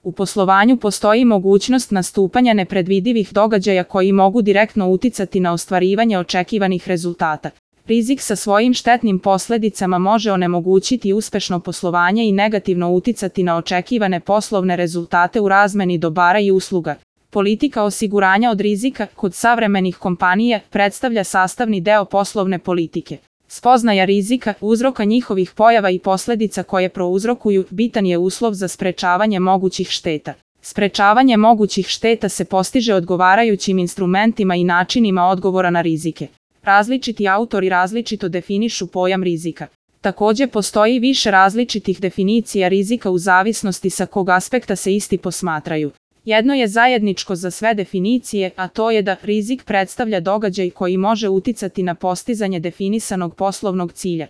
U poslovanju postoji mogućnost nastupanja nepredvidivih događaja koji mogu direktno uticati na ostvarivanje očekivanih rezultata. Rizik sa svojim štetnim posljedicama može onemogućiti uspešno poslovanje i negativno uticati na očekivane poslovne rezultate u razmeni dobara i usluga. Politika osiguranja od rizika kod savremenih kompanija predstavlja sastavni deo poslovne politike. Spoznaja rizika, uzroka njihovih pojava i posljedica koje prouzrokuju bitan je uslov za sprečavanje mogućih šteta. Sprečavanje mogućih šteta se postiže odgovarajućim instrumentima i načinima odgovora na rizike. Različiti autori različito definišu pojam rizika. Također postoji više različitih definicija rizika u zavisnosti sa kog aspekta se isti posmatraju. Jedno je zajedničko za sve definicije, a to je da rizik predstavlja događaj koji može uticati na postizanje definisanog poslovnog cilja.